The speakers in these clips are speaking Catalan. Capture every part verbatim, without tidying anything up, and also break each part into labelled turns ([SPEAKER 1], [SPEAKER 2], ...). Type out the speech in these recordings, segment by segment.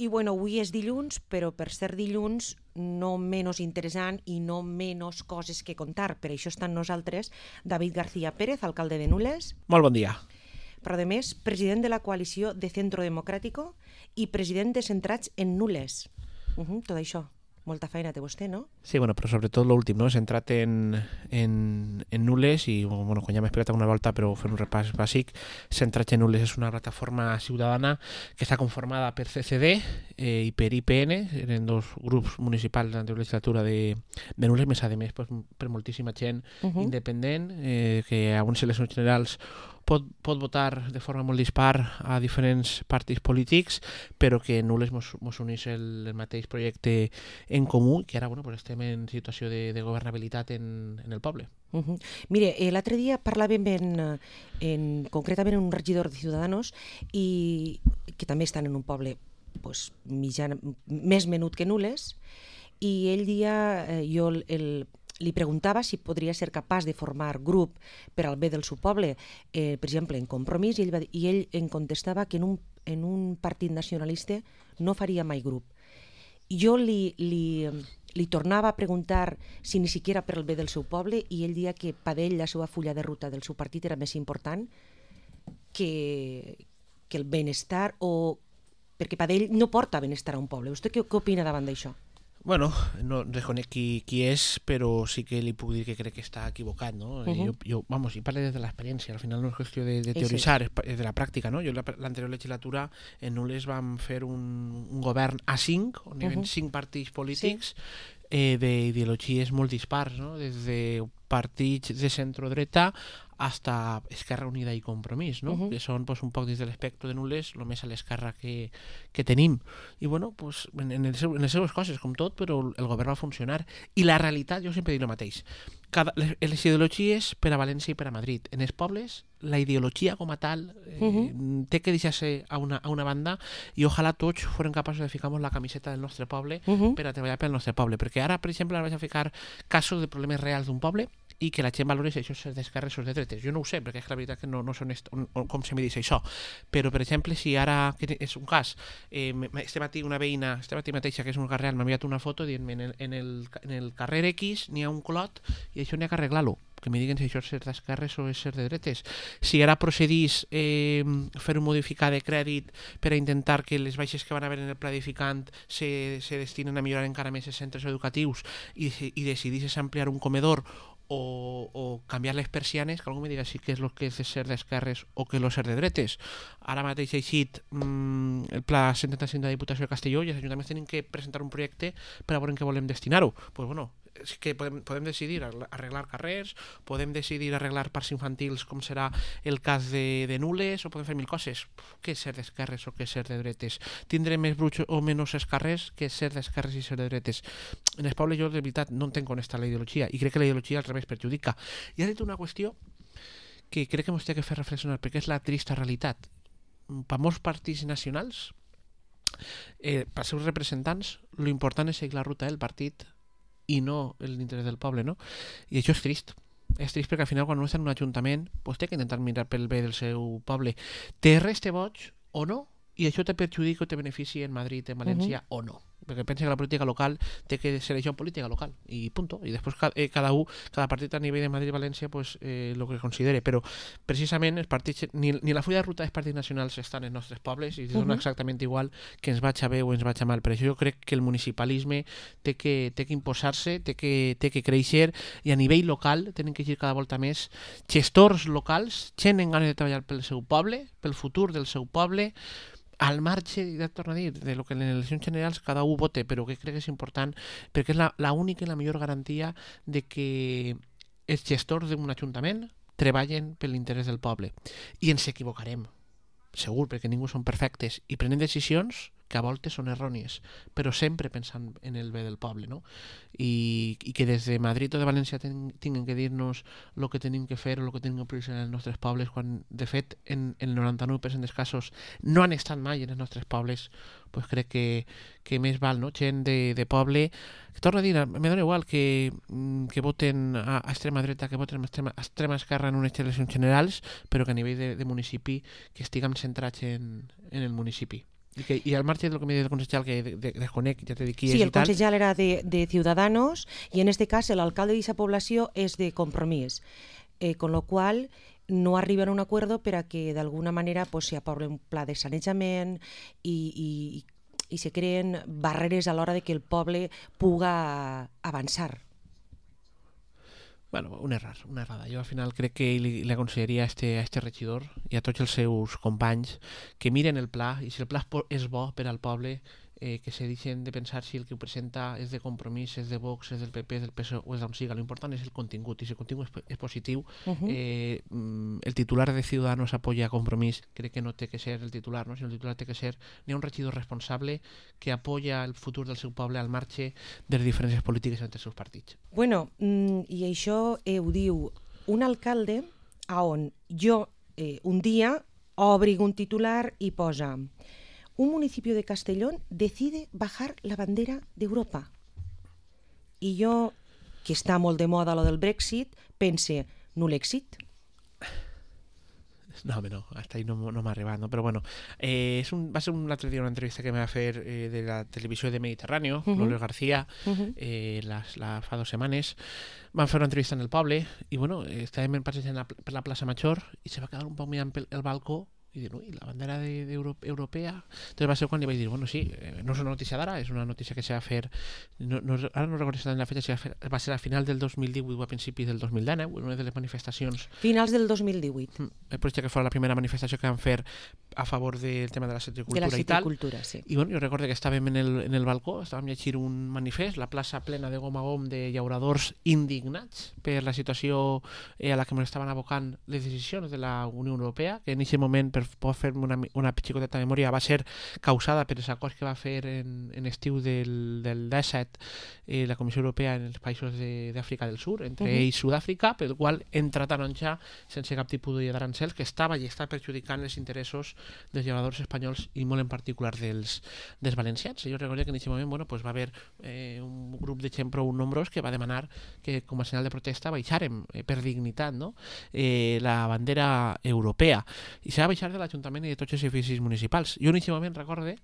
[SPEAKER 1] I bueno, avui és dilluns, però per ser dilluns no menys interessant i no menys coses que contar. Per això està amb nosaltres David García Pérez, alcalde de Nules.
[SPEAKER 2] Molt bon dia.
[SPEAKER 1] Però a més, president de la coalició de Centro Democrático i president de Centrats en Nules. Uh -huh, tot això. Molta feina té vostè, no?
[SPEAKER 2] Sí, bueno, però sobretot l'últim, no? Centrat en, en, en Nules i, bueno, quan ja m'he explicat una volta, però fer un repàs bàsic, Centrats en Nules és una plataforma ciutadana que està conformada per C C D eh, i per I P N, eren dos grups municipals de la legislatura de, de Nules, més a més pues, per moltíssima gent uh -huh. independent, eh, que a unes eleccions generals pot, pot votar de forma molt dispar a diferents partits polítics, però que Nules mos, mos unís el, el mateix projecte en comú, que ara bueno, pues estem en situació de, de governabilitat en, en el poble.
[SPEAKER 1] Uh -huh. Mire, eh, l'altre dia parlàvem en, en, concretament en un regidor de Ciudadanos i que també estan en un poble pues, mitjan, més menut que Nules, i ell dia eh, jo el, el li preguntava si podria ser capaç de formar grup per al bé del seu poble, eh, per exemple, en Compromís, i ell, va, i ell em contestava que en un, en un partit nacionalista no faria mai grup. Jo li, li, li tornava a preguntar si ni siquiera per al bé del seu poble, i ell dia que per ell la seva fulla de ruta del seu partit era més important que, que el benestar, o perquè per ell no porta benestar a un poble. Vostè què, què opina davant d'això?
[SPEAKER 2] Bueno, no reconec qui, qui és, però sí que li puc dir que crec que està equivocat, no? Uh -huh. jo, jo, vamos, i parle des de l'experiència, al final no és qüestió de, de teoritzar, és, és de la pràctica, no? Jo l'anterior legislatura en Nules vam fer un, un govern a cinc, on hi havia uh -huh. cinc partits polítics, sí. eh, d'ideologies molt dispars, no? Des de partits de centro-dreta hasta Esquerra Unida i Compromís, no? Uh-huh. Que són pues, un poc des de l'espectre de Nules, el més a l'esquerra que, que tenim. I bueno, pues, en, en, el seu, en les seves coses, com tot, però el govern va funcionar. I la realitat, jo sempre dic el mateix, cada, les, les ideologies per a València i per a Madrid. En els pobles, la ideologia com a tal eh, uh-huh. té que deixar-se a una, a una banda, i ojalà tots foren capaços de ficar-nos la camiseta del nostre poble uh-huh. per a treballar pel nostre poble. Perquè ara, per exemple, vaig a ficar casos de problemes reals d'un poble i que la gent valori si això és d'esquerres o de dretes. Jo no ho sé, perquè és que la veritat que no, no sé on, on, on, com se me diu això. Però, per exemple, si ara, que és un cas, eh, este matí una veïna, este matí mateixa, que és un carrer, m'ha enviat una foto dient-me en el, en el, en el carrer X n'hi ha un clot i això n'hi ha que arreglar-lo. Que me diguen si això és ser d'esquerres o és ser de dretes. Si ara procedís eh, fer un modificar de crèdit per a intentar que les baixes que van haver en el pla edificant se, se destinen a millorar encara més els centres educatius i, i decidís ampliar un comedor o, o canviar les persianes, que algú me diga si què és el que és de ser d'esquerres o què és el ser de dretes. Ara mateix ha eixit mmm, el pla setanta-cinc de la Diputació de Castelló i els ajuntaments tenen que presentar un projecte per a veure en què volem destinar-ho. Pues bueno, és que podem, podem decidir arreglar carrers, podem decidir arreglar parcs infantils, com serà el cas de, de Nules, o podem fer mil coses. Què és ser d'esquerres o què és ser de dretes? Tindré més bruts o menys esquerres que ser d'esquerres i ser de dretes. En el poble jo de veritat no entenc on està la ideologia, i crec que la ideologia al revés perjudica. I ha dit una qüestió que crec que ens té que fer reflexionar, perquè és la trista realitat. Per molts partits nacionals, eh, pels seus representants, lo important és seguir la ruta del partit i no l'interès del poble, no? I això és trist. És trist perquè al final quan uno està en un ajuntament pues té que intentar mirar pel bé del seu poble. Té res té boig o no? I això te perjudica o te beneficia en Madrid, en València uh-huh. o no? Perquè pensa que la política local té que ser això política local i punto. I després cada, eh, cada un, cada partit a nivell de Madrid i València pues, eh, el que considere, però precisament els partits, ni, ni la fulla de ruta dels partits nacionals estan en els nostres pobles i uh-huh. dona exactament igual que ens vaig a bé o ens vaig a mal. Per això jo crec que el municipalisme té que, té que imposar-se, té que, té que créixer, i a nivell local tenen que ir cada volta més gestors locals, gent en ganes de treballar pel seu poble, pel futur del seu poble, al marge, ja et torno a dir, de lo que en les eleccions generals cada un vote, però que crec que és important perquè és la, la única i la millor garantia de que els gestors d'un ajuntament treballen per l'interès del poble. I ens equivocarem, segur, perquè ningú són perfectes, i prenen decisions que a voltes són errònies, però sempre pensant en el bé del poble, no? I, i que des de Madrid o de València ten, tinguin que dir-nos el que tenim que fer o el que tenim que prioritzar en els nostres pobles, quan de fet en, en el noranta-nou per cent dels casos no han estat mai en els nostres pobles, pues crec que, que més val, no? Gent de, de poble, que torno a dir, me dona igual que, que voten a, a extrema dreta, que voten a extrema, a extrema esquerra en unes eleccions generals, però que a nivell de, de municipi que estiguem centrats en, en el municipi. I, que, i al marge del que me dice el concejal, que de, de, desconec, ja te dic qui
[SPEAKER 1] sí,
[SPEAKER 2] és
[SPEAKER 1] el
[SPEAKER 2] i tal...
[SPEAKER 1] concejal era de, de Ciudadanos i en este cas l'alcalde d'aquesta població és de Compromís, eh, con lo qual no arriben a un acuerdo per a que d'alguna manera pues, s'hi aprovi un pla de sanejament i, i, i se creen barreres a l'hora de que el poble puga avançar.
[SPEAKER 2] Bueno, un error, una errada. Jo al final crec que li, li aconsellaria a este, a este regidor i a tots els seus companys que miren el pla i si el pla és bo per al poble, eh, que se deixen de pensar si el que ho presenta és de Compromís, és de Vox, és del P P, és del P S O e o és d'on siga. L'important és el contingut i si el contingut és, és positiu, uh-huh. eh, el titular de Ciudadanos apoya a Compromís, crec que no té que ser el titular, no? Sinó el titular té que ser n'hi ha un regidor responsable que apoya el futur del seu poble al marge de les diferències polítiques entre els seus partits.
[SPEAKER 1] Bueno, i això eh, ho diu un alcalde a on jo eh, un dia obrig un titular i posa un municipio de Castellón decide bajar la bandera d'Europa. I jo, que està molt de moda lo del Brexit, pense, no l'èxit?
[SPEAKER 2] No, home, no, hasta ahí no, no m'ha arribat, no? Però bueno, eh, és un, va ser un altre dia una entrevista que me va fer eh, de la televisió de Mediterráneo, uh-huh. Loles García, uh-huh. eh, la, la, fa dos setmanes. Van fer una entrevista en el poble i, bueno, eh, estàvem passejant per la plaça Major i se va quedar un poc mirant pel el balcó i dir, ui, la bandera de, de Euro, europea. Entonces va ser quan li vaig dir, bueno, sí, eh, no és una notícia d'ara, és una notícia que se va fer, no, no, ara no recordo exactament la fetge, si va, fer, va ser a final del dos mil divuit o a principis del dos mil dinou, una de les manifestacions.
[SPEAKER 1] Finals del dos mil divuit.
[SPEAKER 2] El projecte que fos la primera manifestació que van fer a favor del tema de la citricultura,
[SPEAKER 1] de la citricultura
[SPEAKER 2] i tal.
[SPEAKER 1] Sí.
[SPEAKER 2] I bueno, jo recordo que estàvem en el, en el balcó, estàvem llegint un manifest, la plaça plena de gom a gom de llauradors indignats per la situació eh, a la que ens estaven abocant les decisions de la Unió Europea, que en aquest moment, per poder fer-me una, una xicoteta memòria, va ser causada per els acords que va fer en, en estiu del, del disset eh, la Comissió Europea en els països d'Àfrica del Sur, entre uh-huh. ells Sud-àfrica, pel qual entra taronja sense cap tipus d'arancels, que estava i està perjudicant els interessos dels llauradors espanyols i molt en particular dels, dels valencians. Jo recordo que en aquest moment bueno, pues va haver eh, un grup de gent prou nombrós que va demanar que com a senyal de protesta baixàrem eh, per dignitat no? eh, la bandera europea i s'ha de baixar de l'Ajuntament i de tots els edificis municipals. Jo en aquest moment recorde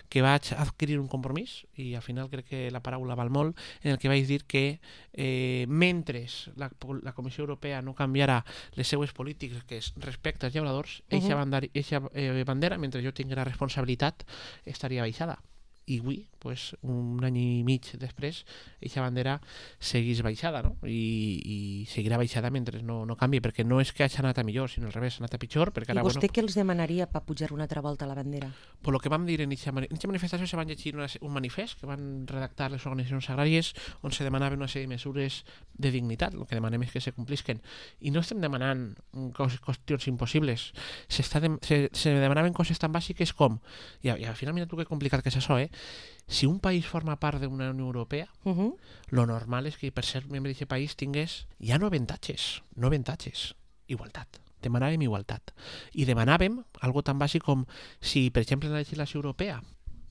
[SPEAKER 2] que vaig adquirir un compromís i al final crec que la paraula val molt en el que vaig dir que eh, mentre la, la Comissió Europea no canviarà les seues polítiques respecte als llauradors, eixa uh-huh. bandera, eixa, eh, bandera, mentre jo tinguera responsabilitat, estaria baixada. I avui, pues, un any i mig després, aquesta bandera seguís baixada, no? I, i seguirà baixada mentre no, no canvi, perquè no és que hagi anat a millor, sinó al revés, ha anat a pitjor. Perquè ara,
[SPEAKER 1] I vostè
[SPEAKER 2] bueno,
[SPEAKER 1] què els demanaria per pujar una altra volta a la bandera?
[SPEAKER 2] Per lo que vam dir en aquesta manifestació se van llegir una, un manifest que van redactar les organitzacions agràries on se demanaven una sèrie de mesures de dignitat, el que demanem és que se complisquen. I no estem demanant coses, qüestions impossibles, se, de, se, se demanaven coses tan bàsiques com, i, i al final mira tu que complicat que és això, eh? Si un país forma part d'una Unió Europea, uh-huh. lo normal és que per ser membre d'aquest país tingués ja no avantatges, no avantatges, igualtat. Demanàvem igualtat. I demanàvem algo tan bàsic com si, per exemple, en la legislació europea,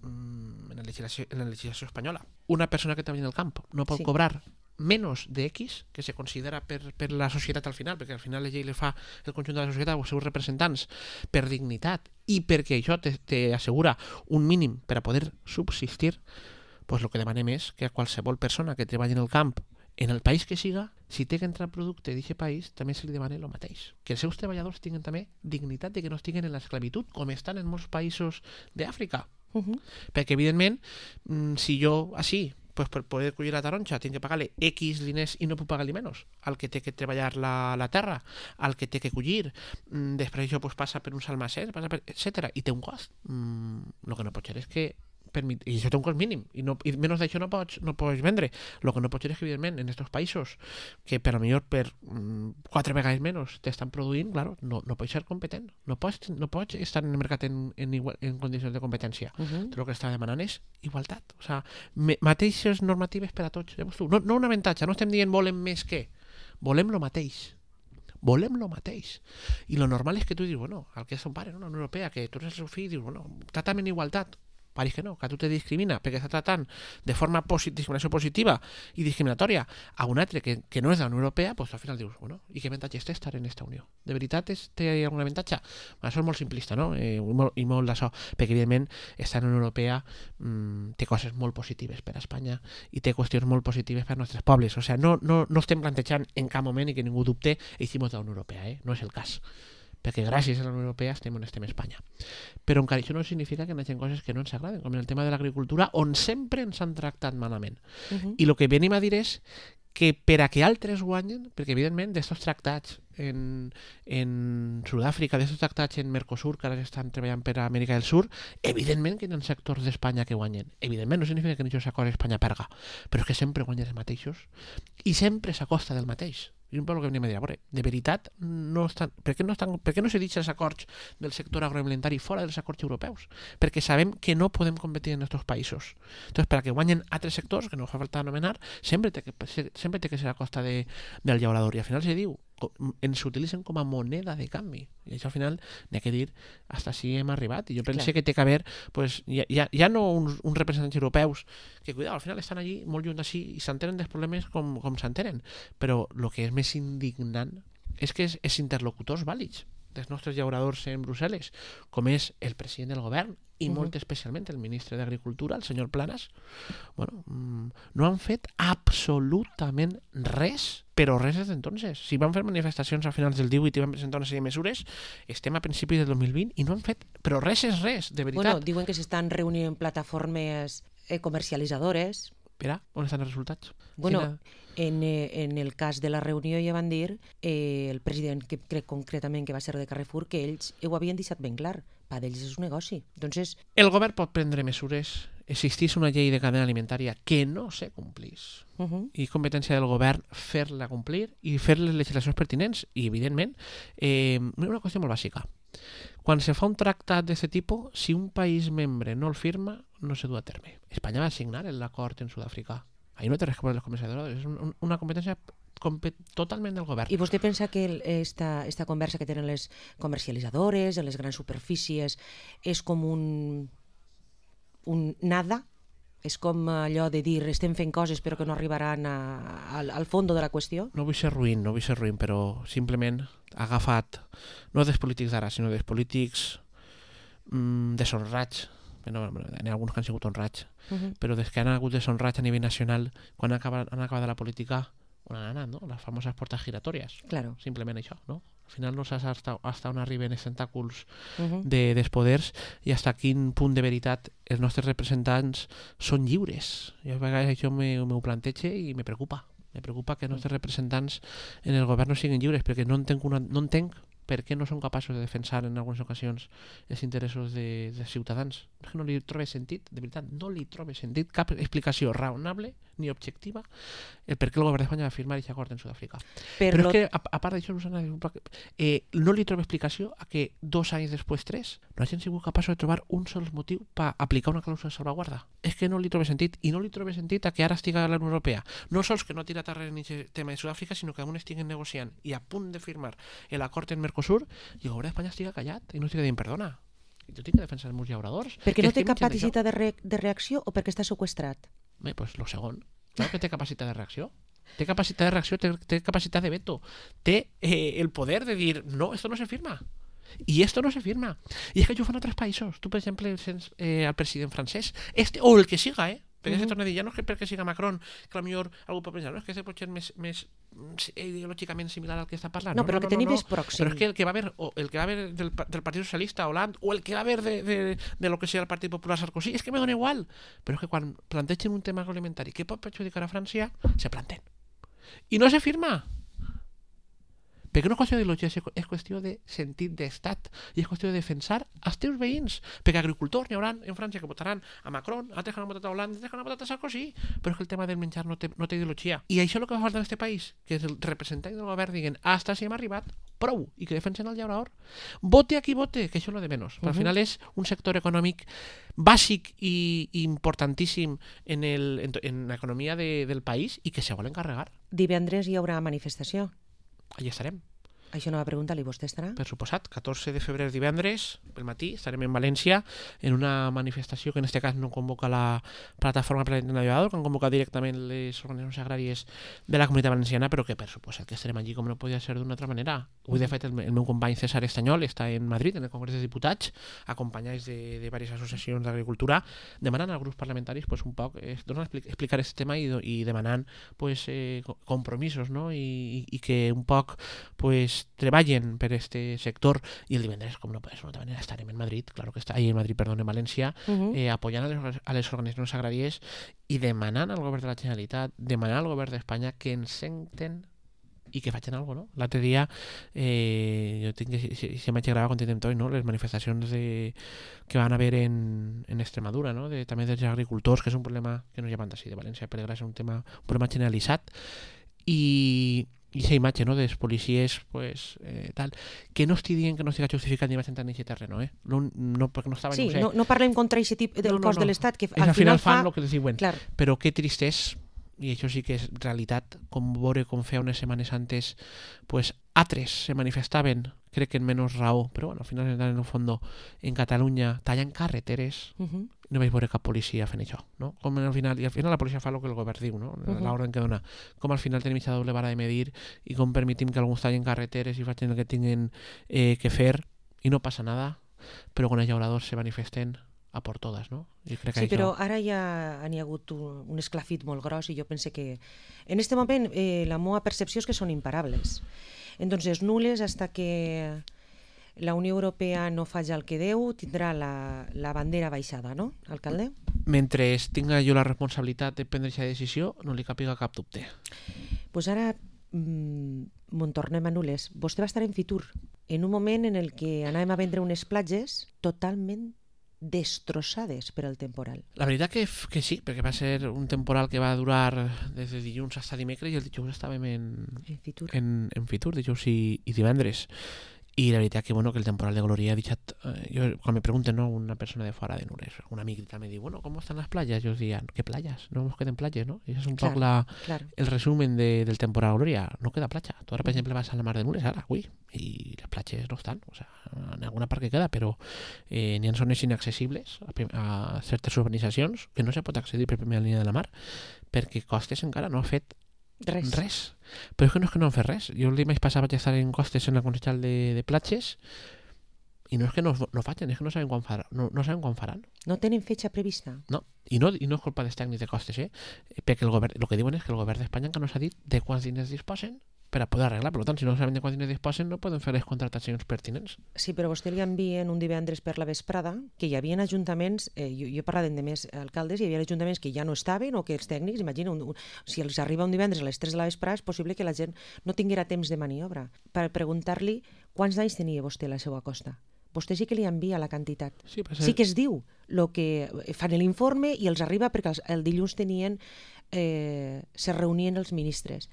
[SPEAKER 2] en la legislació, en la legislació espanyola, una persona que treballa en el camp no pot sí. cobrar menos de X, que se considera per, per la societat al final, perquè al final la llei le fa el conjunt de la societat o els seus representants per dignitat i perquè això t'assegura un mínim per a poder subsistir, pues el que demanem és que a qualsevol persona que treballi en el camp en el país que siga, si té que entrar producte d'aquest país, també se li demana el mateix. Que els seus treballadors tinguin també dignitat de que no estiguen en l'esclavitud, com estan en molts països d'Àfrica. Uh-huh. Perquè, evidentment, si jo, així, pues per poder collir la taronja tinc que pagar-li X diners i no puc pagar-li menys al que té que treballar la, la terra, al que té que collir, mm, després això pues, passa per uns almacens, passa per, etcètera, i té un cost. Mm, el que no pot ser és que permit, i això té un cost mínim i, no, i menys d'això no pots, no pots vendre. El que no pot ser és que evidentment en aquests països que per a millor per mm, quatre vegades menys t'estan produint, claro, no, no pots ser competent, no pots, no pots estar en el mercat en, en, igual, en condicions de competència. Uh-huh. Tot el que està demanant és igualtat, o sea, me, mateixes normatives per a tots. No, no un avantatge, no estem dient volem més que, volem lo mateix. Volem lo mateix. I lo normal és que tu dius, bueno, el que és un pare, no? La Unió Europea, que tu eres el seu fill, dius, bueno, tractament igualtat. va dir que no, que a tu te discrimina perquè està tratant de forma posi discriminació positiva i discriminatòria a un altre que, que no és de la Unió Europea, doncs al final dius, bueno, i què avantatge té estar en aquesta Unió? De veritat és, té algun avantatge? Bueno, això és molt simplista, no? Eh, i molt, i molt d'això, perquè evidentment estar en la Unió Europea mmm, té coses molt positives per a Espanya i té qüestions molt positives per als nostres pobles. O sigui, no, no, no estem plantejant en cap moment i que ningú dubte hicimos de la Unió Europea, eh? No és el cas. Perquè gràcies a la Unió Europea estem on estem a Espanya. Però encara això no significa que no hi hagi coses que no ens agraden, com en el tema de l'agricultura, on sempre ens han tractat malament. Uh-huh. I el que venim a dir és que per a que altres guanyen, perquè evidentment d'estos tractats en, en Sud-àfrica, d'estos tractats en Mercosur, que ara estan treballant per a Amèrica del Sur, evidentment que hi ha sectors d'Espanya que guanyen. Evidentment, no significa que en aquests acords Espanya perga, però és que sempre guanyen els mateixos i sempre s'acosta del mateix. I un poc el que venim a dir, a veure, de veritat, no estan, per, què no estan, per què no se deixen els acords del sector agroalimentari fora dels acords europeus? Perquè sabem que no podem competir en aquests països. Entonces, per a que guanyen altres sectors, que no fa falta anomenar, sempre té que, sempre té que ser a costa de, del llaurador. I al final se diu, ens utilitzen com a moneda de canvi. I això al final n'hi ha que dir hasta si hem arribat. I jo penso que té que haver, pues, ja, ja, ja no uns, uns representants europeus que, cuidado, al final estan allí molt lluny d'ací i s'entenen dels problemes com, com s'entenen. Però el que és més indignant és que és, és interlocutors vàlids dels nostres llauradors en Brussel·les, com és el president del govern i uh-huh. molt especialment el ministre d'Agricultura, el senyor Planas, bueno, no han fet absolutament res, però res des d'entonces. Si van fer manifestacions a finals del divuit i van presentar una sèrie de mesures, estem a principis del dos mil vint i no han fet, però res és res, de veritat.
[SPEAKER 1] Bueno, diuen que s'estan reunint en plataformes eh, comercialitzadores.
[SPEAKER 2] Espera, on estan els resultats?
[SPEAKER 1] Bueno, en, eh, en el cas de la reunió ja van dir eh, el president, que crec concretament que va ser de Carrefour, que ells ho havien deixat ben clar. Per ells és un negoci. Entonces...
[SPEAKER 2] El govern pot prendre mesures. Existís una llei de cadena alimentària que no se complís. Uh-huh. I competència del govern fer-la complir i fer les legislacions pertinents. I, evidentment, eh, una qüestió molt bàsica. Quan se fa un tractat d'aquest tipus, si un país membre no el firma, no se du a terme. Espanya va signar l'acord en Sud-àfrica. Ahí no té res que veure els comerciadors. És un, una competència totalment del govern.
[SPEAKER 1] I vostè pensa que esta, esta conversa que tenen les comercialitzadores, en les grans superfícies, és com un, un nada? És com allò de dir estem fent coses però que no arribaran a, a, al fons de la qüestió?
[SPEAKER 2] No vull ser ruïn, no vull ser ruïn, però simplement ha agafat, no dels polítics d'ara, sinó dels polítics mmm, deshonrats. No, n'hi ha alguns que han sigut honrats, uh-huh. però des que han hagut deshonrats a nivell nacional, quan han acabat, han acabat la política, on han anat, no? Les famoses portes giratòries.
[SPEAKER 1] Claro. Simplement
[SPEAKER 2] això, no? Al final no saps hasta, hasta on arriben els tentàculs uh-huh. de, dels poders i hasta quin punt de veritat els nostres representants són lliures. I a vegades això m'ho plantege i me preocupa. Me preocupa que els nostres representants en el govern no siguin lliures, perquè no entenc, una, no entenc per què no són capaços de defensar en algunes ocasions els interessos de, dels ciutadans. És que no li trobo sentit, de veritat, no li trobo sentit cap explicació raonable ni objectiva el per què el govern d'Espanya va firmar aquest acord en Sud-àfrica. Per Però lo... és que, a, a part d'això, Susana, eh, no li trobo explicació a que dos anys després, tres, no hagin sigut capaços de trobar un sol motiu per aplicar una clàusula de salvaguarda. És que no li trobo sentit, i no li trobo sentit a que ara estiga a la Unió Europea. No sols que no ha tirat arrere en aquest tema de Sud-àfrica, sinó que aún estiguen negociant i a punt de firmar l'acord en Mercosur i el govern d'Espanya estiga callat i no estiga dient perdona. I tu tinc que defensar els meus llauradors.
[SPEAKER 1] Perquè no té capacitat de, re de reacció o perquè està seqüestrat?
[SPEAKER 2] Bé, doncs el segon. Clar que té capacitat de reacció. Té capacitat de reacció, té, té capacitat de veto. Té eh, el poder de dir, no, esto no se firma. I esto no se firma. I és que això ho fan altres països. Tu, per exemple, sents eh, el president francès, este, o el que siga, eh? Perquè uh-huh. es que torna a dir, ja no és que perquè siga Macron, que potser algú pot pensar, no, és que és potser més, més ideològicament similar al que està parlant.
[SPEAKER 1] No, no però no, el que no, tenim no, és pròxim.
[SPEAKER 2] Però és que el que va haver, o el que va haver del, del Partit Socialista Hollande, o el que va haver de, de, de lo que sigui el Partit Popular Sarkozy, és que me dona igual. Però és que quan plantegen un tema agroalimentari que pot perjudicar a França, se planten. I no se firma. Perquè no és qüestió d'ideologia, és qüestió de sentit d'estat i és qüestió de defensar els teus veïns. Perquè agricultors n'hi haurà en França que votaran a Macron, altres que han votat a Hollande, altres que han votat a Sarkozy, però és que el tema del menjar no té, no té ideologia. I això és el que fa falta en aquest país, que els representants del govern diguen hasta si hem arribat, prou, i que defensen el llaurador. Vote a qui vote, que això és lo de menys. Uh-huh. Al final és un sector econòmic bàsic i importantíssim en, el, en, en l'economia de, del país i que se volen carregar.
[SPEAKER 1] Divendres hi haurà manifestació.
[SPEAKER 2] Allà estarem.
[SPEAKER 1] Això no va preguntar-li, vostè estarà?
[SPEAKER 2] Per suposat, catorze de febrer divendres, pel matí, estarem en València en una manifestació que en aquest cas no convoca la plataforma per l'Internacional, que han convocat directament les organitzacions agràries de la Comunitat Valenciana, però que per suposat que estarem allí com no podia ser d'una altra manera. Avui, de fet, el, el meu company César Estanyol està en Madrid, en el Congrés de Diputats, acompanyats de, de diverses associacions d'agricultura, demanant als grups parlamentaris pues, un poc eh, explicar aquest tema i, i demanant pues, eh, compromisos, no? I, i que un poc pues, treballen per este sector, i el divendres, com no pot ser d'una altra manera, estarem en Madrid, claro que està, ahí en Madrid, perdón, en València, uh-huh. eh, apoyant a les, a les organitzacions agràries i demanant al govern de la Generalitat, demanant al govern d'Espanya que ens senten i que facin alguna cosa, no? L'altre dia eh, jo tinc que si, si m'haig gravat quan tindrem no? Les manifestacions de, que van haver en, en Extremadura, no? De, també dels agricultors, que és un problema que no hi ha banda així de València, per desgràcia, és un tema un problema generalitzat, i i aquesta imatge, no?, dels policies pues, eh, tal, que no estic dient que no estigui justificat ni vaig entrar en aquest terreno, eh? No, no, perquè no estava,
[SPEAKER 1] sí,
[SPEAKER 2] no sé.
[SPEAKER 1] no, no parlem contra aquest tipus del
[SPEAKER 2] no, no,
[SPEAKER 1] cos
[SPEAKER 2] no.
[SPEAKER 1] de l'Estat, que
[SPEAKER 2] és,
[SPEAKER 1] al,
[SPEAKER 2] al final,
[SPEAKER 1] final
[SPEAKER 2] fan
[SPEAKER 1] fa...
[SPEAKER 2] el que els diuen.
[SPEAKER 1] Clar.
[SPEAKER 2] Però que trist és, i això sí que és realitat, com veure com feia unes setmanes antes, pues, altres se manifestaven, crec que en menys raó, però bueno, al final, en el fons, en Catalunya, tallant carreteres, uh-huh. no vaig veure cap policia fent això, no? Com al final, i al final la policia fa el que el govern diu, no? Uh-huh. L'ordre que dona. Com al final tenim aquesta doble vara de medir i com permetim que alguns tallen carreteres i facin el que tinguin eh, que fer i no passa nada, però quan els llauradors se manifesten a por todas, no? I crec que
[SPEAKER 1] sí,
[SPEAKER 2] això...
[SPEAKER 1] però ara ja n'hi ha hagut un, un esclafit molt gros i jo pense que en este moment eh, la meva percepció és que són imparables. Entonces, nules hasta que la Unió Europea no faci el que deu, tindrà la, la bandera baixada, no, alcalde?
[SPEAKER 2] Mentre tinga jo la responsabilitat de prendre aquesta decisió, no li capiga cap dubte.
[SPEAKER 1] Doncs pues ara mmm, me'n tornem a nules. Vostè va estar en Fitur, en un moment en el que anàvem a vendre unes platges totalment destrossades per al temporal.
[SPEAKER 2] La veritat que, que sí, perquè va ser un temporal que va durar des de dilluns fins a dimecres i el dijous estàvem en,
[SPEAKER 1] en Fitur,
[SPEAKER 2] en, en Fitur dijous i, i divendres. I la veritat que, bueno, que el temporal de Gloria ha deixat... Eh, jo, quan me pregunten, no, una persona de fora de Nules, un amic tal, me diu, bueno, ¿cómo están las playas? Yo os diría, ¿qué playas? No nos queden playas, ¿no? Y ese es un
[SPEAKER 1] claro,
[SPEAKER 2] poco la,
[SPEAKER 1] claro.
[SPEAKER 2] el resumen de, del temporal Gloria. No queda playa. Tú ahora, por ejemplo, vas a la mar de Nules, ahora, uy, y las playas no están. O sea, en alguna part que queda, però eh, n'hi ha zones inaccessibles a, a certes urbanitzacions que no se pot accedir per primera línia de la mar perquè Costes encara no ha fet
[SPEAKER 1] Res.
[SPEAKER 2] res. Però és que no és que no han fet res. Jo el dimarts passat vaig estar en Costes en el Consell de, de Platges i no és que no, no facin, és que no saben quan faran. No, no saben quan faran.
[SPEAKER 1] No tenen fetxa prevista?
[SPEAKER 2] No, i no, i no és culpa dels tècnics de Costes, eh? Perquè el govern, el que diuen és que el govern d'Espanya encara no s'ha dit de quants diners disposen per a poder arreglar. Per tant, si no saben de quants diners disposen, no poden fer les contractacions pertinents.
[SPEAKER 1] Sí, però vostè li envien un divendres per la vesprada que hi havia ajuntaments, eh, jo, jo he parlat de més alcaldes, hi havia ajuntaments que ja no estaven o que els tècnics, imagina, un, un, si els arriba un divendres a les tres de la vesprada és possible que la gent no tinguera temps de maniobra. Per preguntar-li quants anys tenia vostè a la seva costa. Vostè sí que li envia la quantitat.
[SPEAKER 2] Sí, ser...
[SPEAKER 1] sí que es diu lo que fan l'informe i els arriba perquè els, el dilluns tenien, eh, se reunien els ministres.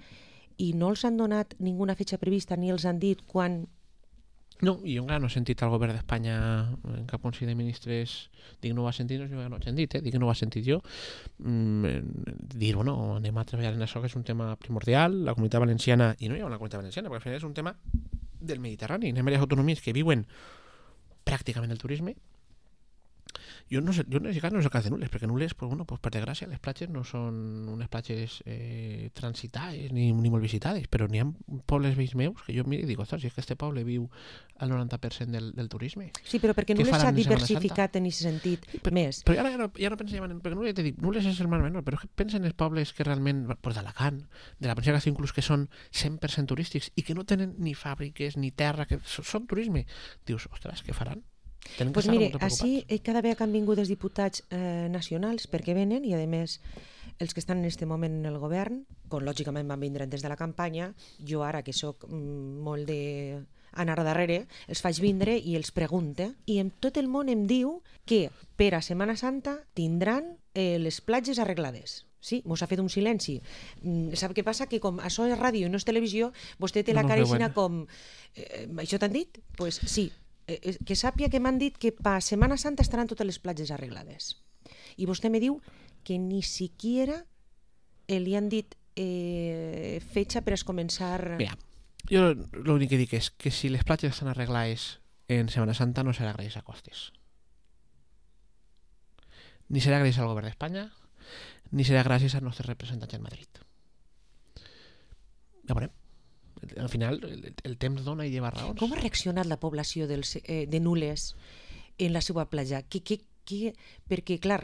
[SPEAKER 1] I no els han donat ninguna fetxa prevista ni els han dit quan...
[SPEAKER 2] No, i jo encara no he sentit al govern d'Espanya en cap Consell de Ministres dic no ho ha sentit, no, jo no ho he sentit, eh? Dic que no ho ha sentit jo mm, dir, bueno, anem a treballar en això que és un tema primordial, la Comunitat Valenciana i no hi ha una Comunitat Valenciana, perquè al final és un tema del Mediterrani, hi ha diverses autonomies que viuen pràcticament el turisme. Jo no sé, jo en aquest cas no és el cas de Nules, perquè Nules, pues, bueno, pues, per desgràcia, les platges no són unes platges eh, transitades ni, ni molt visitades, però n'hi ha pobles vells meus que jo miro i dic, ostres, si és que este poble viu al noranta per cent del, del turisme.
[SPEAKER 1] Sí, però perquè Nules s'ha diversificat en aquest sentit
[SPEAKER 2] però,
[SPEAKER 1] més.
[SPEAKER 2] Però ja no, ja no pensem en... Perquè Nules, dic, Nules és el mar menor, però pensa en els pobles que realment, pues, d'Alacant, de la província inclús que són cent per cent turístics i que no tenen ni fàbriques ni terra, que són turisme. Dius, ostres, què faran?
[SPEAKER 1] Pues mire, així cada vegada que han vingut els diputats eh, nacionals perquè venen i a més els que estan en aquest moment en el govern, com lògicament van vindre des de la campanya, jo ara que sóc mm, molt de anar darrere, els faig vindre i els pregunte i en tot el món em diu que per a Setmana Santa tindran eh, les platges arreglades. Sí, mos ha fet un silenci. Mm, sap què passa? Que com això és ràdio i no és televisió, vostè té la
[SPEAKER 2] no,
[SPEAKER 1] cara
[SPEAKER 2] bueno.
[SPEAKER 1] com... Eh, això t'han dit? Doncs pues, sí. Eh, que sàpia que m'han dit que per Setmana Santa estaran totes les platges arreglades. I vostè me diu que ni siquiera eh, li han dit eh, fetxa per a començar...
[SPEAKER 2] Mira, Jo l'únic que dic és que si les platges estan arreglades en Setmana Santa no serà gràcies a Costes. Ni serà gràcies al govern d'Espanya, ni serà gràcies als nostres representants en Madrid. Ja veurem. Al final, el, el temps dona i lleva raons.
[SPEAKER 1] Com ha reaccionat la població dels, eh, de Nules en la seva platja? Que, que, que, perquè, clar,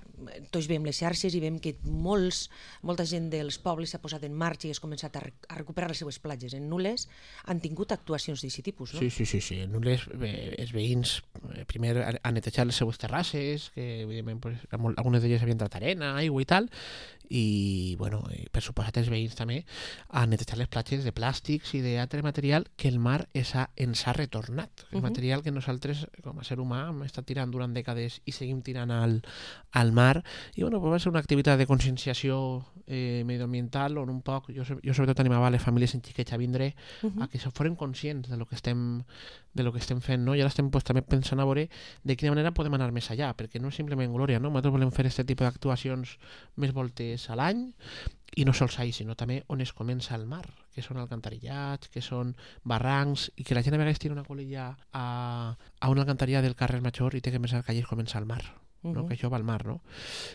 [SPEAKER 1] tots veiem les xarxes i veiem que molts, molta gent dels pobles s'ha posat en marxa i ha començat a, a recuperar les seves platges. En Nules han tingut actuacions d'aquest tipus, no?
[SPEAKER 2] Sí, sí, sí. sí. En Nules, eh, els veïns eh, primer han netejat les seues terrasses, que evidentment pues, algunes d'elles havien tret arena, aigua i tal, i bueno, per suposat els veïns també han netejat les platges de plàstics i d'altre material que el mar es ha, ens ha retornat. El uh -huh. material que nosaltres com a ser humà hem estat tirant durant dècades i seguim tirant al, al mar, i bueno, pues va ser una activitat de conscienciació eh, medioambiental on un poc, jo, jo sobretot animava les famílies en xiquets a vindre uh -huh. a que se foren conscients de lo que estem de lo que estem fent, no? I ara estem pues, també pensant a veure de quina manera podem anar més allà, perquè no és simplement glòria, no? Nosaltres volem fer aquest tipus d'actuacions més voltes a l'any, i no sols ahí, sinó també on es comença el mar, que són alcantarillats, que són barrancs, i que la gent a vegades tira una colilla a, a una alcantarilla del carrer Major i té que pensar que allí comença el mar. No? Uh -huh. Que això va al mar, no?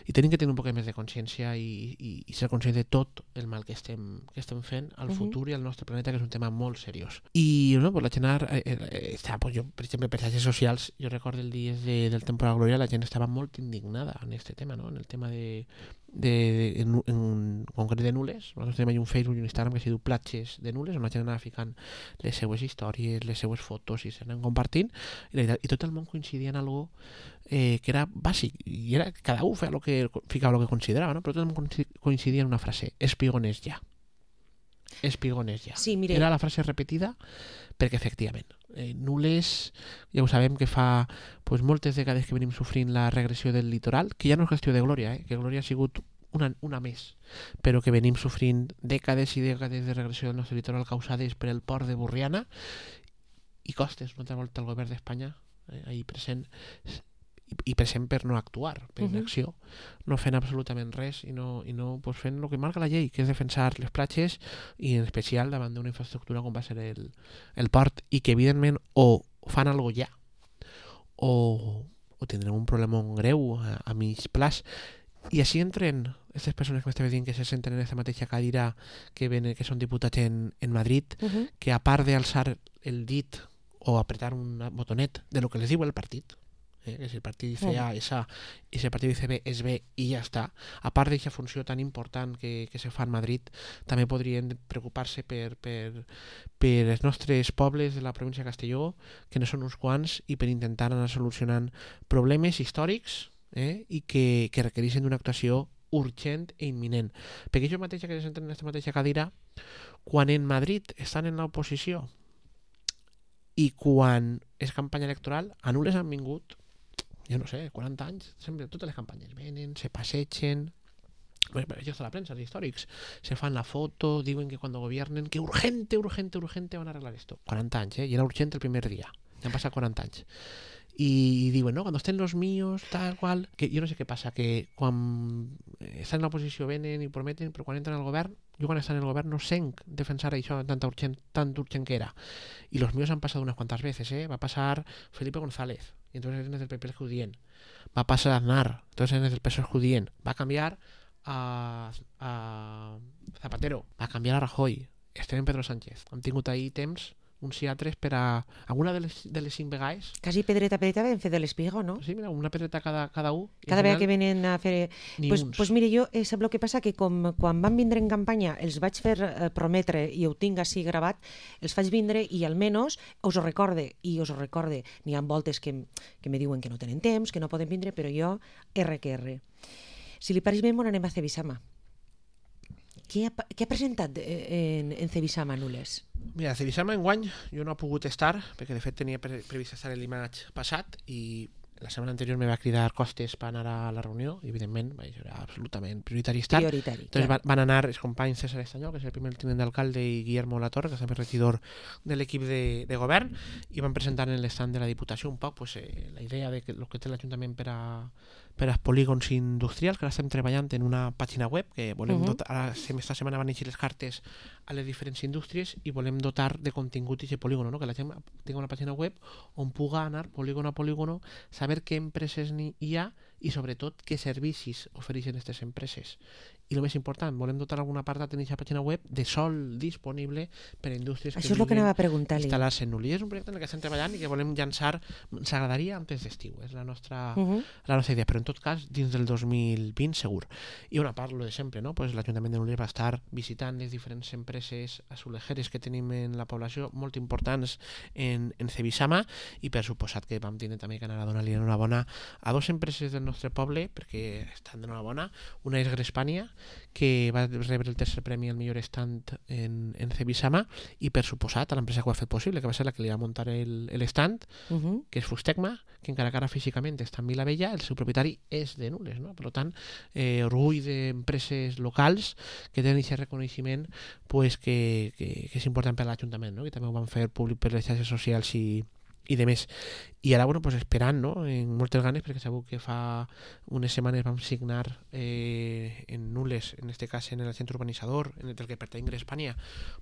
[SPEAKER 2] I tenim que tenir un poc més de consciència i, i, i ser conscients de tot el mal que estem, que estem fent al uh -huh. futur i al nostre planeta, que és un tema molt seriós. I no, pues la gent eh, eh, està, pues jo, per exemple, per xarxes socials, jo recordo el dia de, del Temporal Glòria, la gent estava molt indignada en aquest tema, no? En el tema de, de, de en, en concret de Nules. Nosaltres tenim un Facebook i un Instagram que s'hi diu Platges de Nules, on la gent anava ficant les seues històries, les seues fotos i s'anaven compartint, i, la, i tot el món coincidia en algo eh, que era bàsic, i era, cada un feia lo que, ficava el que considerava, no? Però tot el món coincidia en una frase: espigones ja. Espigones ja.
[SPEAKER 1] Sí, mire.
[SPEAKER 2] Era la frase repetida perquè, efectivament, eh, Nules, ja ho sabem que fa pues, moltes dècades que venim sofrint la regressió del litoral, que ja no és qüestió de glòria, eh? Que glòria ha sigut una, una més, però que venim sofrint dècades i dècades de regressió del nostre litoral causades per el port de Borriana, i Costes, una altra volta el govern d'Espanya, eh, ahir present, i present per no actuar, per inacció, uh -huh. no fent absolutament res i no, i no pues, fent el que marca la llei, que és defensar les platges, i en especial davant d'una infraestructura com va ser el, el port, i que evidentment o fan alguna cosa ja o, o tindrem un problema greu a, a mig plaç. I així entren aquestes persones que m'estan dient que se senten en aquesta mateixa cadira que, ven, que són diputats en, en Madrid, uh -huh. que a part d'alçar el dit o apretar un botonet de lo que les diu el partit, Eh, que si el partit dice A es A y si el partit dice B es B i ja està, a part d'aquesta funció tan important que, que se fa en Madrid, també podrien preocupar-se per, per, per els nostres pobles de la província de Castelló, que no són uns quants, i per intentar anar solucionant problemes històrics eh, i que, que requereixen d'una actuació urgent e imminent. Perquè jo mateixa, que se senten en aquesta mateixa cadira, quan en Madrid estan en l'oposició i quan és campanya electoral, a Nules han vingut, jo no sé, quaranta anys, sempre totes les campanyes venen, se passegen, bueno, això està la premsa, els històrics, se fan la foto, diuen que quan gobiernen, que urgente, urgente, urgente van a arreglar esto. quaranta anys, eh? I era urgent el primer dia. Ja han passat quaranta anys. I diuen, no, cuando estén los míos, tal qual, que jo no sé què passa, que quan estan en l'oposició venen i prometen, però quan entren al govern, jo quan estan en el govern no senc defensar això tan urgent, tan urgent que era. I los míos han passat unas cuantas veces, eh? Va passar Felipe González, y entonces eres del P P judien. Va a pasar Aznar, entonces eres del P S O E judien. Va a cambiar a, a Zapatero, va a cambiar a Rajoy, estem en Pedro Sánchez. Hem tingut ahir temps uns i altres per a alguna de les, de les cinc vegades.
[SPEAKER 1] Quasi pedreta pedreta vam fer de l'Espigo, no?
[SPEAKER 2] Sí, mira, una pedreta cada, cada un.
[SPEAKER 1] Cada vegada que venen a fer...
[SPEAKER 2] Ni
[SPEAKER 1] pues,
[SPEAKER 2] uns.
[SPEAKER 1] pues mire, jo, eh, sap el que passa? Que com quan van vindre en campanya els vaig fer eh, prometre, i ho tinc així gravat, els faig vindre i almenys us ho recorde, i us ho recorde. N'hi ha voltes que, que me diuen que no tenen temps, que no poden vindre, però jo, R que R. Si li pareix bé, m'ho anem a Cebisama. Què ha, què ha presentat en, en Cebisama, Nules?
[SPEAKER 2] Mira, Cebisama enguany jo no he pogut estar, perquè de fet tenia pre previst estar el dimarts passat, i la setmana anterior me va cridar Costes per anar a la reunió, i evidentment això era absolutament prioritari estar.
[SPEAKER 1] Prioritari,
[SPEAKER 2] Entonces
[SPEAKER 1] clar.
[SPEAKER 2] van anar els companys César Estanyol, que és el primer tinent d'alcalde, i Guillermo Latorre, que és també regidor de l'equip de, de govern, i van presentar en l'estat de la Diputació un poc pues, eh, la idea de que el que té l'Ajuntament per a per als polígons industrials, que ara estem treballant en una pàgina web, que volem
[SPEAKER 1] Uh-huh.
[SPEAKER 2] dotar, ara, esta setmana van eixir les cartes a les diferents indústries i volem dotar de contingut aquest polígon, no? Que la gent tingui una pàgina web on puga anar polígon a polígon, saber què empreses hi ha i sobretot què servicis ofereixen aquestes empreses. I el més important, volem dotar algun apartat en aquesta pàgina web de sol disponible per a indústries
[SPEAKER 1] Això és el que anava a preguntar-li.
[SPEAKER 2] instal·lar-se en Nulli. És un projecte en el que estem treballant i que volem llançar, ens agradaria antes d'estiu, és la nostra,
[SPEAKER 1] Uh-huh.
[SPEAKER 2] la nostra idea, però en tot cas dins del dos mil vint segur. I una part, lo de sempre, no? Pues l'Ajuntament de Nulli va estar visitant les diferents empreses azulejeres que tenim en la població, molt importants en, en Cebisama, i per suposat que vam tindre també que anar a donar-li enhorabona a dues empreses del nostre poble, perquè estan d'enhorabona. Una és Grespània, que va rebre el tercer premi al millor stand en, en Cebisama, i per suposat a l'empresa que ho ha fet possible, que va ser la que li va muntar l'stand,
[SPEAKER 1] Uh-huh.
[SPEAKER 2] que és Fustecma, que encara que ara físicament està en Vilavella, el seu propietari és de Nules, no? Per tant, eh, orgull d'empreses locals que tenen aquest reconeixement, pues, que, que, que és important per a l'Ajuntament, no? Que també ho van fer públic per les xarxes socials i, i de més. I ara, bueno, pues esperant, no? En moltes ganes, perquè segur que fa unes setmanes vam signar eh, en Nules, en este cas en el centre urbanitzador, en el que pertany Grespània,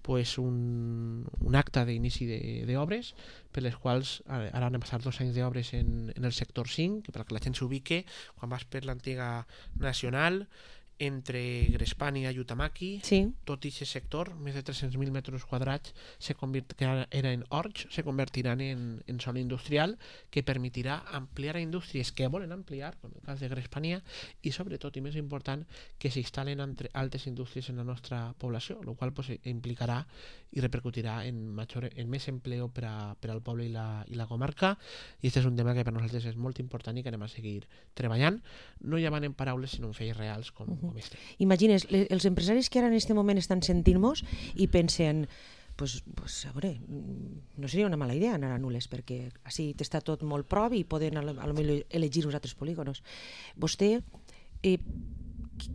[SPEAKER 2] pues un, un acte d'inici d'obres, per les quals ara han passat dos anys d'obres en, en el sector cinc, que per que la gent s'ubique, quan vas per l'antiga Nacional, entre Grespània i Utamaki,
[SPEAKER 1] Sí.
[SPEAKER 2] tot aquest sector, més de tres-cents mil metres quadrats, se convirt, que ara eren horts, se convertiran en, en sòl industrial, que permetirà ampliar a indústries que volen ampliar, com el cas de Grespània, i sobretot, i més important, que s'instal·len altres indústries en la nostra població, el qual pues, implicarà i repercutirà en, major, en més empleo per, a, per al poble i la, i la comarca, i aquest és un tema que per nosaltres és molt important i que anem a seguir treballant, no ja van en paraules, sinó en fets reals, com, uh-huh. com este.
[SPEAKER 1] Imagines, le, els empresaris que ara en aquest moment estan sentint-nos i pensen, pues, pues, a veure, no seria una mala idea anar a Nules, perquè així està tot molt prop i poden a lo, a lo millor elegir uns altres polígonos. Vostè, eh,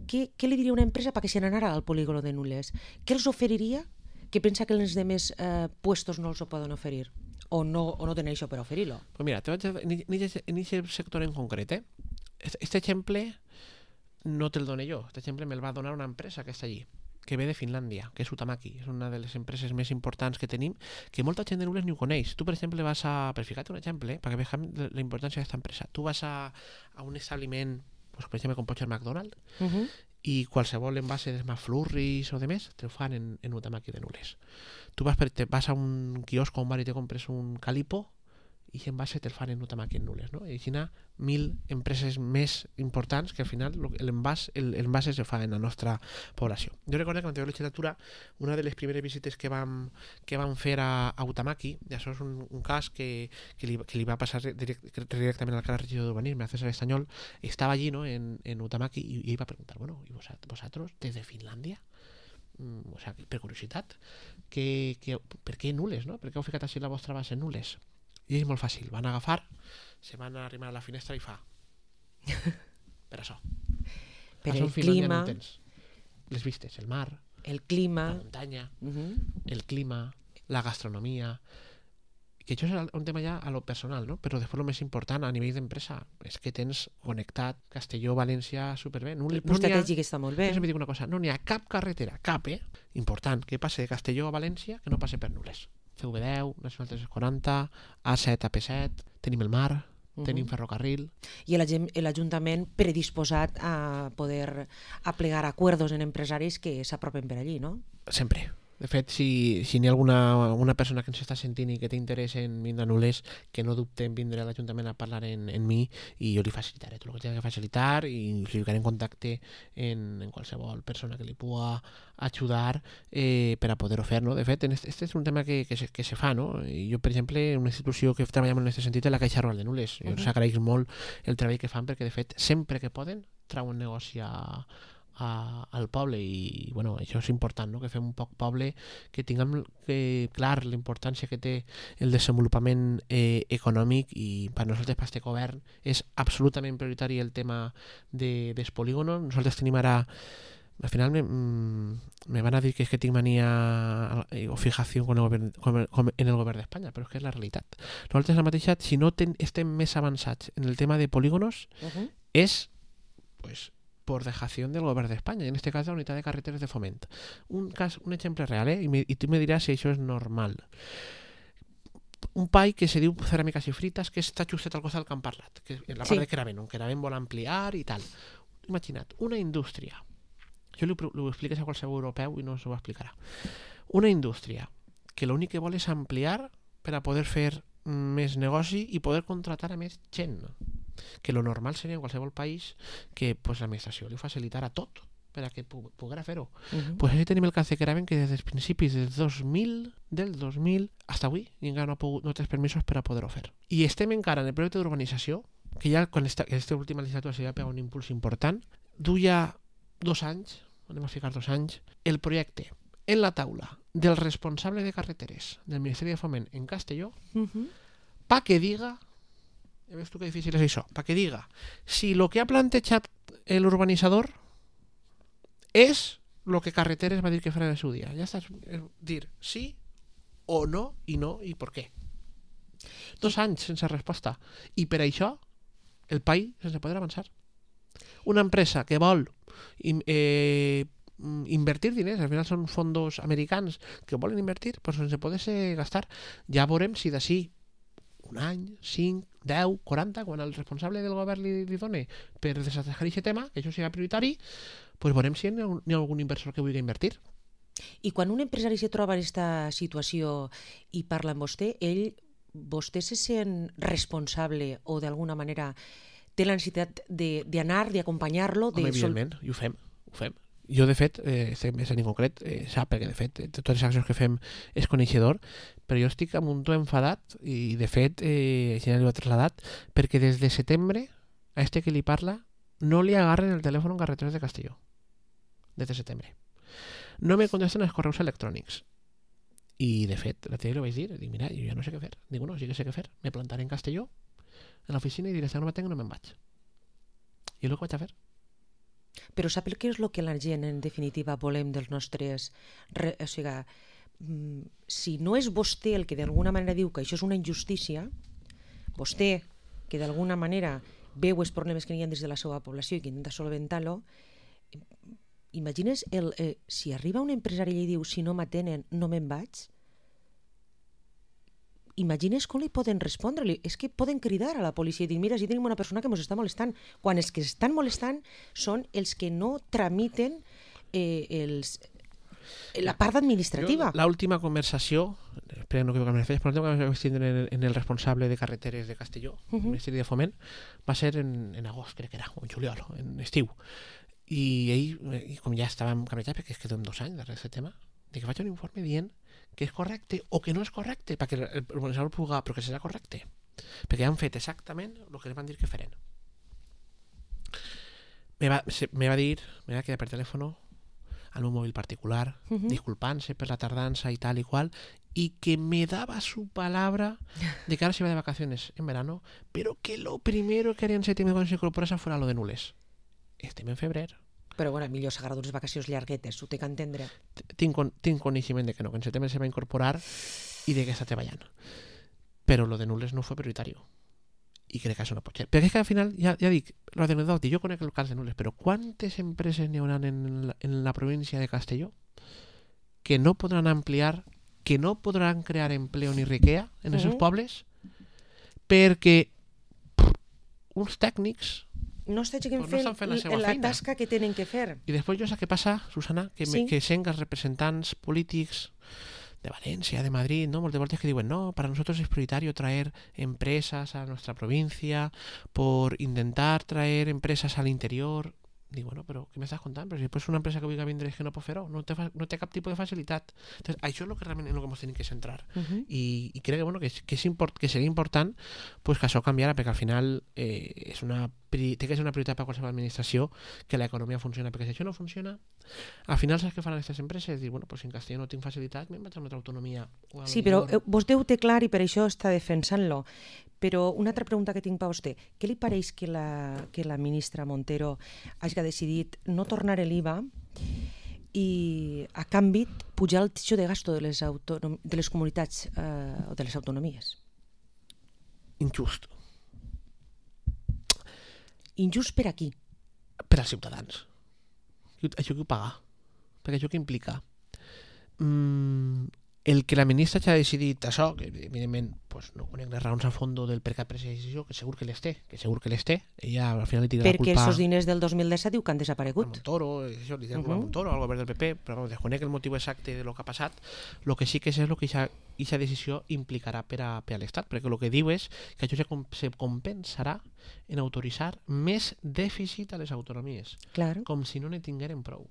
[SPEAKER 1] què, què li diria a una empresa perquè se n'anara al polígono de Nules? Què els oferiria que pensa que els demés eh, puestos no els ho poden oferir? O no, o no tenen això per oferir-lo?
[SPEAKER 2] Pues mira, te vaig a, en aquest sector en concret, eh? Este exemple no te'l doné jo, este exemple me'l va donar una empresa que està allí, que ve de Finlàndia, que és Utamaki, és una de les empreses més importants que tenim, que molta gent de Nules ni ho coneix. Tu, per exemple, vas a... Per ficar-te un exemple, eh, perquè vegem la importància d'aquesta empresa. Tu vas a, a un establiment, pues, per exemple, com pot ser McDonald's,
[SPEAKER 1] Uh-huh.
[SPEAKER 2] i qualsevol envase de McFlurries o de més, te ho fan en, en Utamaki de Nules. Tu vas, per, te vas a un quiosc o un bar i te compres un Calipo, i aquest envase te'l fan en Utamaki en Nules, no? I així n'hi ha mil empreses més importants que al final l'envàs el se fa en la nostra població. Jo recordo que en l'anterior legislatura una de les primeres visites que vam, que vam fer a, a Utamaki, i això és un, un cas que, que, li, que li va passar direct, directament al cara regidor d'urbanisme, a César Estanyol, estava allí, no, en, en Utamaki, i, i ell va preguntar, bueno, ¿y vosotros desde Finlàndia? Mm, o sea, per curiositat, que, que, per què Nules, no? Per què heu ficat així la vostra base en Nules? I és molt fàcil, van agafar, se van a arrimar a la finestra i fa per això,
[SPEAKER 1] Per
[SPEAKER 2] això
[SPEAKER 1] el
[SPEAKER 2] en Finlàndia
[SPEAKER 1] clima,
[SPEAKER 2] no tens les vistes, el mar,
[SPEAKER 1] el
[SPEAKER 2] la
[SPEAKER 1] clima...
[SPEAKER 2] muntanya,
[SPEAKER 1] Uh-huh.
[SPEAKER 2] el clima, la gastronomia, que això és un tema ja a lo personal, no? Però després el més important a nivell d'empresa és que tens connectat Castelló, València superbé. No,
[SPEAKER 1] El
[SPEAKER 2] no
[SPEAKER 1] pla
[SPEAKER 2] n'hi ha,
[SPEAKER 1] estratègic està molt bé.
[SPEAKER 2] jo sempre dic una cosa, no n'hi ha cap carretera, cap, eh, important, que passe de Castelló a València que no passe per Nules. C V deu, Nacional tres-cents quaranta, A set, A P set, tenim el mar,
[SPEAKER 1] Uh-huh.
[SPEAKER 2] tenim ferrocarril.
[SPEAKER 1] I l'Ajuntament l'Ajuntament predisposat a poder aplegar acuerdos en empresaris que s'apropen per allí, no?
[SPEAKER 2] Sempre. De fet, si, si n'hi ha alguna una persona que ens està sentint i que té interès en vindre a Nules, que no dubte en vindre a l'Ajuntament a parlar en, en mi, i jo li facilitaré tot el que tingui que facilitar i li ficaré en contacte en, en qualsevol persona que li pugui ajudar eh, per a poder-ho fer, no? De fet, este, este és un tema que, que, se, que se fa, no? I jo, per exemple, una institució que treballem en aquest sentit és la Caixa Rural de Nules. Jo uh-huh. s'agraeix molt el treball que fan perquè, de fet, sempre que poden, trauen negoci a A, al poble i bueno, això és important, no? Que fem un poc poble, que tinguem que, clar la importància que té el desenvolupament eh, econòmic, i per nosaltres, per este govern, és absolutament prioritari el tema de, dels polígonos. Nosaltres tenim ara, al final me, me van a dir que és que tinc mania o fijació con el govern, con el, con en el govern d'Espanya, però és que és la realitat. Nosaltres la mateixa, si no ten, estem més avançats en el tema de polígonos,
[SPEAKER 1] Uh-huh.
[SPEAKER 2] es, pues, por dejación del Gobierno de España, en este caso la Unitat de Carreteres de Foment. Un, cas, un exemple real, eh? I, me, i tu me diràs si això és normal. Un pai que se diu Ceràmiques i Frites, que està justet al costat del que hem parlat, que en la part sí. de Queravent, on Queravent vol ampliar i tal. Imagina't, una indústria, jo li, li ho expliques a qualsevol europeu i no s'ho explicarà. Una indústria que l'únic que vol és ampliar per a poder fer més negoci i poder contratar a més gent. Que lo normal seria en qualsevol país que pues, l'administració li facilitara tot per a que pu poguera fer-ho. Uh-huh. Pues així tenim el cas de Queravent, que des dels principis del dos mil, del dos mil fins avui encara no ha pogut, no té permisos per a poder-ho fer. I estem encara en el projecte d'urbanització, que ja quan esta, aquesta última legislatura s'hi va pegar un impuls important, duia dos anys, anem a ficar dos anys, el projecte en la taula del responsable de carreteres del Ministeri de Foment en Castelló, uh-huh. pa que diga, ja veus tu que difícil és això, pa que diga si lo que ha plantejat l'urbanitzador és lo que Carreteres va dir que farà en el seu dia. Ja estàs dir sí o no, i no, i per què. Dos anys sense resposta. I per això el país sense poder avançar. Una empresa que vol eh, invertir diners, al final són fondos americans que volen invertir, però sense poder-se gastar. Ja veurem si d'ací un any, cinc, deu, quaranta, quan el responsable del govern li, li doni per desatascar aquest tema, que això sigui prioritari, pues veurem si hi ha, hi ha algun inversor que vulgui invertir.
[SPEAKER 1] I quan un empresari se troba en aquesta situació i parla amb vostè, ell, vostè se sent responsable o d'alguna manera té la necessitat d'anar, d'acompanyar-lo?
[SPEAKER 2] Home, evidentment, i ho fem, ho fem. Jo, de fet, eh, en concret, eh, sap, perquè de fet, totes les accions que fem és coneixedor, però jo estic amb un to enfadat i, de fet, eh, ja l'ho he traslladat, perquè des de setembre, a este que li parla, no li agarren el telèfon en Carreteres de Castelló. Des de setembre. No me contesten els correus electrònics. I, de fet, la tele li vaig dir, dic, mira, jo ja no sé què fer. Dic, no, sí que sé què fer. Me plantaré en Castelló, en l'oficina, i diré, si no me tengo, no me'n vaig. I és el que vaig a fer.
[SPEAKER 1] Però sap què és el que la gent, en definitiva, volem dels nostres... Re... O sigui, si no és vostè el que d'alguna manera diu que això és una injustícia, vostè, que d'alguna manera veu els problemes que hi ha des de la seva població i que intenta solventar-lo, imagines el, eh, si arriba un empresari i li diu si no m'atenen no me'n vaig, imagines com li poden respondre? És que poden cridar a la policia i dir, mira, si tenim una persona que ens està molestant, quan els que estan molestant són els que no tramiten eh, els, la part administrativa.
[SPEAKER 2] L'última conversació, espero no equivocar-me, però l'última conversació que vaig tindre en, en el responsable de Carreteres de Castelló, uh -huh. el Ministeri de Foment, va ser en, en agost, crec que era, o en juliol, en estiu. I ell, i com ja estàvem cabrejats, perquè es quedem dos anys darrere d'aquest tema, de que faig un informe dient que és correcte o que no és correcte, perquè l'urbanizador pugui, però que serà correcte. Perquè han fet exactament el que els van dir que feren. Me va, se, me va dir, me va quedar per telèfon al meu mòbil particular, uh -huh. disculpant-se per la tardança i tal i qual, y que me daba su palabra de que ahora se iba de vacaciones en verano, pero que lo primero que haría en septiembre cuando se incorporase fuera lo de Nules. Estem en febrer.
[SPEAKER 1] Però bueno, millor s'agarra d'unes vacacions llarguetes, ho té que entendre.
[SPEAKER 2] Tinc, tinc coneixement de que no, que en setembre se va incorporar i de que està treballant. Però lo de Nules no fue prioritario. I crec que això no pot ser. Perquè és que al final, ja, ja dic, lo de Nules, jo conec el cas de Nules, però quantes empreses n'hi haurà en la, en la província de Castelló que no podran ampliar, que no podran crear empleo ni riquea en els seus uh-huh. pobles perquè pff, uns tècnics
[SPEAKER 1] no estiguen pues no fent la, la tasca que tenen que fer.
[SPEAKER 2] I després jo sé què passa, Susana, que, sí? me, que sent els representants polítics de Valencia, de Madrid, ¿no? Moltes voltes que diuen, no, para nosotros es prioritario traer empresas a nuestra provincia por intentar traer empresas al interior. Dic, bueno, però què m'estàs contant? Però si després una empresa que vulgui vindre és que no pot fer-ho, no té, no té cap tipus de facilitat. Entonces, això és lo que realment en el que ens tenim que centrar. Uh-huh. I, i crec que, bueno, que, que, és import, que seria important pues, que això canviara, perquè al final eh, és una, té que ser una prioritat per qualsevol administració que l'economia funciona, perquè si això no funciona, al final saps què faran aquestes empreses? Dir, bueno, pues, si en Castelló no tinc facilitat, me'n vaig a una altra autonomia.
[SPEAKER 1] Sí, però eh, vostè ho té clar i per això està defensant-lo. Però una altra pregunta que tinc per vostè. Què li pareix que la, que la ministra Montero hagi decidit no tornar l'I V A i, a canvi, pujar el títol de gasto de les, autonom- de les comunitats eh, o de les autonomies?
[SPEAKER 2] Injust.
[SPEAKER 1] Injust per aquí.
[SPEAKER 2] Per als ciutadans. Això qui ho paga? Perquè això què implica? Mm, el que la ministra ja ha decidit això, que evidentment pues, no conec les raons a fons del per què ha pres aquesta decisió, que segur que les té, que segur que les té, ella al final li tira la culpa...
[SPEAKER 1] Perquè els diners del dos mil disset diu que han desaparegut.
[SPEAKER 2] A Montoro, això, li tira la culpa a Montoro, al govern del P P, però desconec el motiu exacte de lo que ha passat. El que sí que és el que aquesta decisió implicarà per a, per a l'Estat, perquè el que diu és que això se, se compensarà en autoritzar més dèficit a les autonomies,
[SPEAKER 1] Claro.
[SPEAKER 2] com si no ne tingueren prou.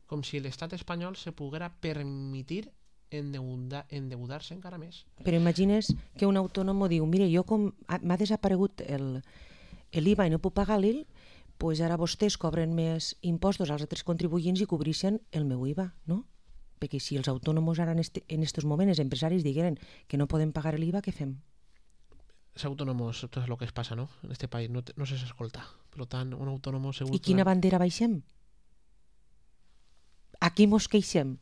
[SPEAKER 2] Com si l'estat espanyol se poguera permitir endeudar-se encara més.
[SPEAKER 1] Però imagines que un autònom diu, mire, jo com m'ha desaparegut l'I V A i no puc pagar l'I L, pues ara vostès cobren més impostos als altres contribuents i cobreixen el meu I V A, no? Perquè si els autònoms ara en aquests moments, els empresaris digueren que no poden pagar l'I V A, què fem?
[SPEAKER 2] Els autònoms, tot és el que es passa, no? En aquest país no, no se s'escolta. Per tant, un autònom segur...
[SPEAKER 1] I quina bandera baixem? Aquí mos queixem,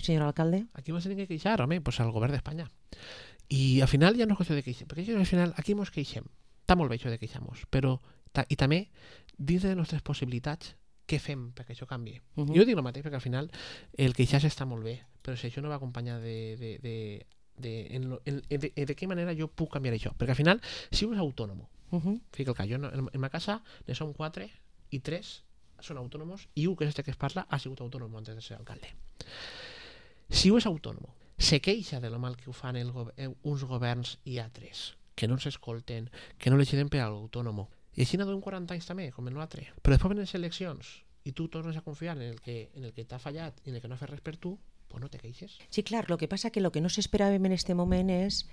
[SPEAKER 1] senyor alcalde?
[SPEAKER 2] Aquí mos tenim que queixar, home, pues al govern d'Espanya. I al final ja no és qüestió de queixar, perquè al final aquí mos queixem. Està molt bé això de queixar-nos, però ta, i també dins de les nostres possibilitats què fem perquè això canvi. Uh -huh. Jo dic el mateix perquè al final el queixar-se està molt bé, però si això no va acompanyar de, de, de, de, en, lo, en, de, de, de què manera jo puc canviar això. Perquè al final, si un és autònom, uh -huh. fica el cas, jo en, en ma casa ne som quatre i tres són autònoms i un, que és este que es parla, ha sigut autònom antes de ser alcalde. Si un és autònom, se queixa de lo mal que ho fan el go uns governs i altres, que no s'escolten, que no legislen per a l'autònom. I així n'ha d'un quaranta anys també, com el nostre. Però després venen les eleccions i tu tornes a confiar en el que, en el que t'ha fallat i en el que no ha fet res per tu, pues no te queixes.
[SPEAKER 1] Sí, clar, lo que passa que lo que no s'esperàvem en este moment és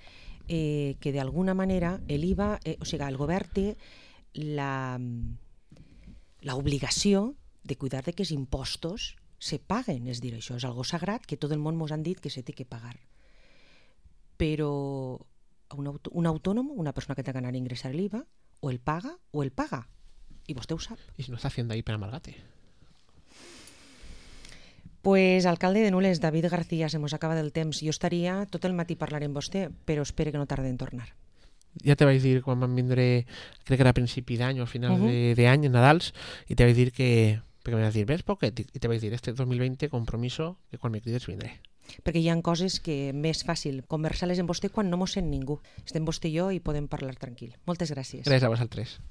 [SPEAKER 1] eh, que d'alguna manera l'I V A, eh, o sigui, el govern té la l'obligació de cuidar de que els impostos se paguen, és dir, això és algo sagrat que tot el món mos han dit que se té que pagar. Però un, aut un autònom, una persona que té ganar ingressar l'I V A, o el paga o el paga. I vostè ho sap.
[SPEAKER 2] I si no està fent d'ahí per amalgate.
[SPEAKER 1] Pues, alcalde de Nules, David García, se mos acaba del temps. Jo estaria tot el matí parlant amb vostè, però espero que no tarde en tornar.
[SPEAKER 2] Ja te vaig dir quan vam vindre, crec que era a principi d'any o a finals uh -huh. d'any, en Nadals, i te vaig dir que, perquè me vas dir, ves poquet, i te vaig dir, este dos mil vint, compromiso, que quan me crides vindré.
[SPEAKER 1] Perquè hi ha coses que més fàcil conversar-les amb vostè quan no mos sent ningú. Estem vostè i jo i podem parlar tranquil. Moltes gràcies.
[SPEAKER 2] Gràcies a vosaltres.